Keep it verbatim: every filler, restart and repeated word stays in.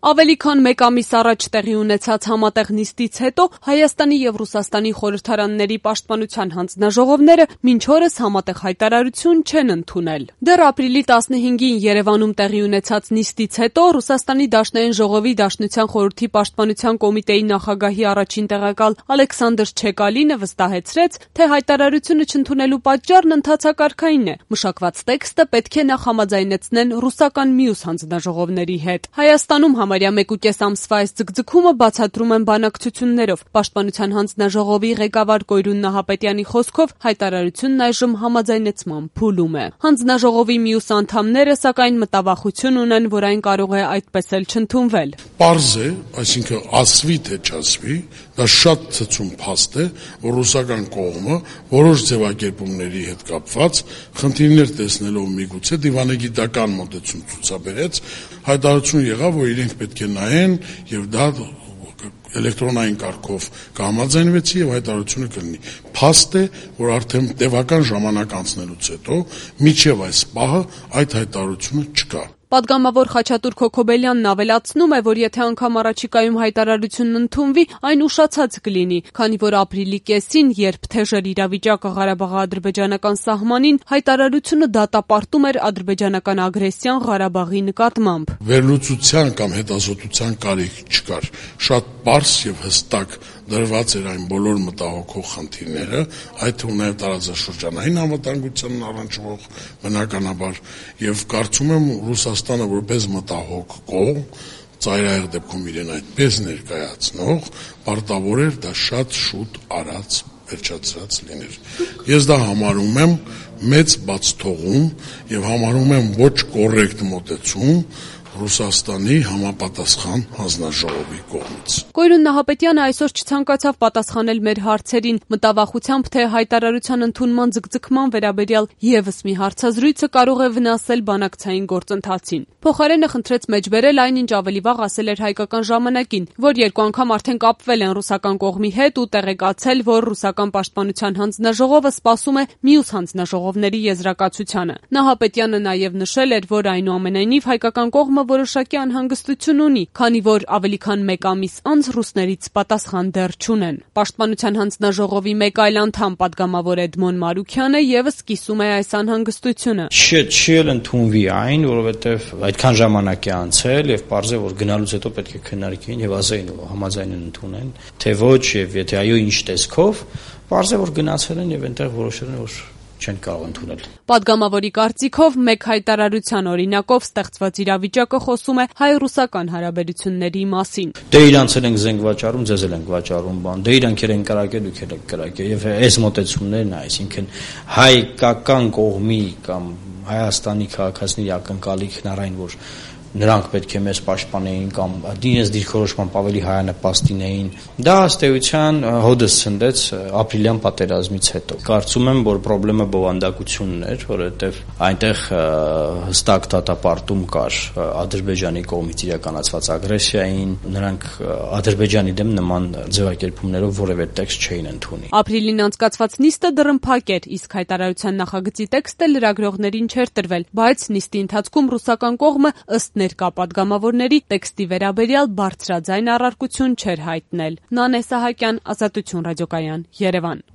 Ավելի քան մեկ ամիս առաջ տեղի ունեցած համատեղ նիստից հետո Հայաստանի եւ Ռուսաստանի խորհրդարանների պաշտպանության հանձնաժողովները մինչ օրս համատեղ հայտարարություն չեն ընդունել։ Դեռ ապրիլի տասնհինգին Երևանում տեղի ունեցած նիստից հետո Ռուսաստանի Դաշնային ժողովի Դաշնության խորհրդի պաշտպանության կոմիտեի նախագահի առաջին տեղակալ Ալեքսանդր Չեկալինը վստահեցրեց, թե հայտարարությունը չընդունելու պատճառն ընդհանցակարգային է։ Մշակված տեքստը պետք է նախ համաձայնեցնեն ռուսական մյուս հանձնաժողովների հետ։ Հայաստանում համարյա մեկուկես ամսվա այս ձգձգումը բացատրում են բանակցություններով։ Պաշտպանության հանձնաժողովի ղեկավար Կոյրուն Նահապետյանի խոսքով հայտարարությունն այժմ համաձայնեցման փուլում է։ Հանձնաժողովի մյուս անդամները սակայն մտավախություն ունեն, որ այն կարող է այդպես էլ չընդունվել։ Պարզ է, այսինքն ասվի թե չասվի, դա շատ ցցում փաստ է, որ ռուսական կողմը որոշ ձևակերպումների հետ կապված խնդիրներ տեսնելով միգուցե դիվանագիտական մոտեցում ցուցաբերեց, հայտարարություն եղավ, որ իրենք պետք է նայեն եւ դա էլեկտրոնային կարգով կհամաձայնվեցի եւ հայտարարությունը կլինի։ Փաստ է, որ արդեն տևական ժամանակ անցնելուց հետո միջև այս պահը այդ հայտարարությունը չկա։ Պատգամավոր Խաչատուր Քոքոբելյանն ավելացնում է, որ եթե անգամ առաջիկայում հայտարարությունն ընդունվի, այն ուշացած կլինի, քանի որ ապրիլի կեսին, երբ թեժր իրավիճակը Ղարաբաղի-ադրբեջանական սահմանին, հայտարարությունը դատապարտում էր ադրբեջանական ագրեսիան Ղարաբաղի նկատմամբ։ Վերլուծության կամ հետազոտության կարիք չկար։ Շատ պարզ եւ հստակ դրված էր այն բոլոր մտահոգող խնդիրները, այդ թվում նաեւ տարածաշրջանային անվտանգությանն առնչվող բնականաբար եւ կարծում եմ Ռուսաստանը որպես մտահոգ կողմ, ծայրահեղ դեպքում իրեն այդպես ներկայացնող, պարտավոր էր դա շատ շուտ արած վերջացրած լիներ։ Ես դա համարում եմ մեծ բացթողում եւ համարում եմ ոչ կոռեկտ մոտեցում Ռուսաստանի համապատասխան հանձնաժողովի կողմից։ Կոյրուն Նահապետյանը այսօր չցանկացավ պատասխանել մեր հարցերին, մտավախությամբ, թե հայտարարության ընդունման ձգձգման վերաբերյալ եւս մի հարցազրույցը կարող է վնասել բանակցային գործընթացին։ Փոխարենը խնդրեց մեջբերել այն, ինչ ավելի վաղ ասել էր Հայկական ժամանակին, որ երկու անգամ արդեն կապվել են ռուսական կողմի հետ ու տեղեկացել, որ ռուսական պաշտպանության հանձնաժողովը սպասում է մյուս հանձնաժողովների եզրակացությանը։ Նահապետյանը նաեւ նշել էր, որ այնուամենայնիվ հայկական կողմը որոշակի անհանգստություն ունի, քանի որ ավելի քան մեկ ամիս անց ռուսներից պատասխան դեռ չունեն։ Պաշտպանության հանձնաժողովի մեկ այլ անդամ պատգամավոր Էդմոն Մարուքյանը եւս կիսում է այս անհանգստությունը։ Չէ, չի էլ ընդունվի այն, որովհետեւ այդքան ժամանակ է անցել եւ պարզ է, որ գնալուց հետո պետք է քննարկեն եւ ասեին ու համաձայնեն ընդունեն, թե ոչ եւ եթե այո ինչ տեսքով, պարզ է, որ գնացել են եւ այնտեղ որոշել են, որ չեն կարող ընդունել։ Պատգամավորի կարծիքով մեկ հայտարարության օրինակով ստեղծված իրավիճակը խոսում է հայ-ռուսական հարաբերությունների մասին։ Դե իրանց են զենք վաճառում, ձեզ էլ են վաճառում բան։ Դե իրանք են կրակել, դուք եք կրակել եւ այս մոտեցումներն, այսինքն հայկական կողմի կամ Հայաստանի քաղաքացիների ակնկալիքն առայն, որ նրանք պետք է մեզ պաշտպանեին կամ դինես դիրքորոշմամբ ավելի հայանպաստ լինեին։ Դա ըստ էության հոդս ցնդեց ապրիլյան պատերազմից հետո։ Կարծում եմ, որ խնդրեմը բովանդակությունն էր, որովհետև այնտեղ հստակ դատապարտում կար Ադրբեջանի կողմից իրականացված ագրեսիային, նրանք Ադրբեջանի դեմ նման ձևակերպումներով որևէ տեքստ չէին ընդունի։ Ապրիլին անցկացված նիստը դռնփակ էր, իսկ հայտարարության նախագծի տեքստը լրագրողներին չէր տրվել, բայց նիստի ընթացքում ռուսական կողմը ըստ ներկա պատգամավորների տեքստի վերաբերյալ բարձրաձայն առարկություն չէր հայտնել։ Նանե Սահակյան, Ազատություն ռադիոկայան, Երևան։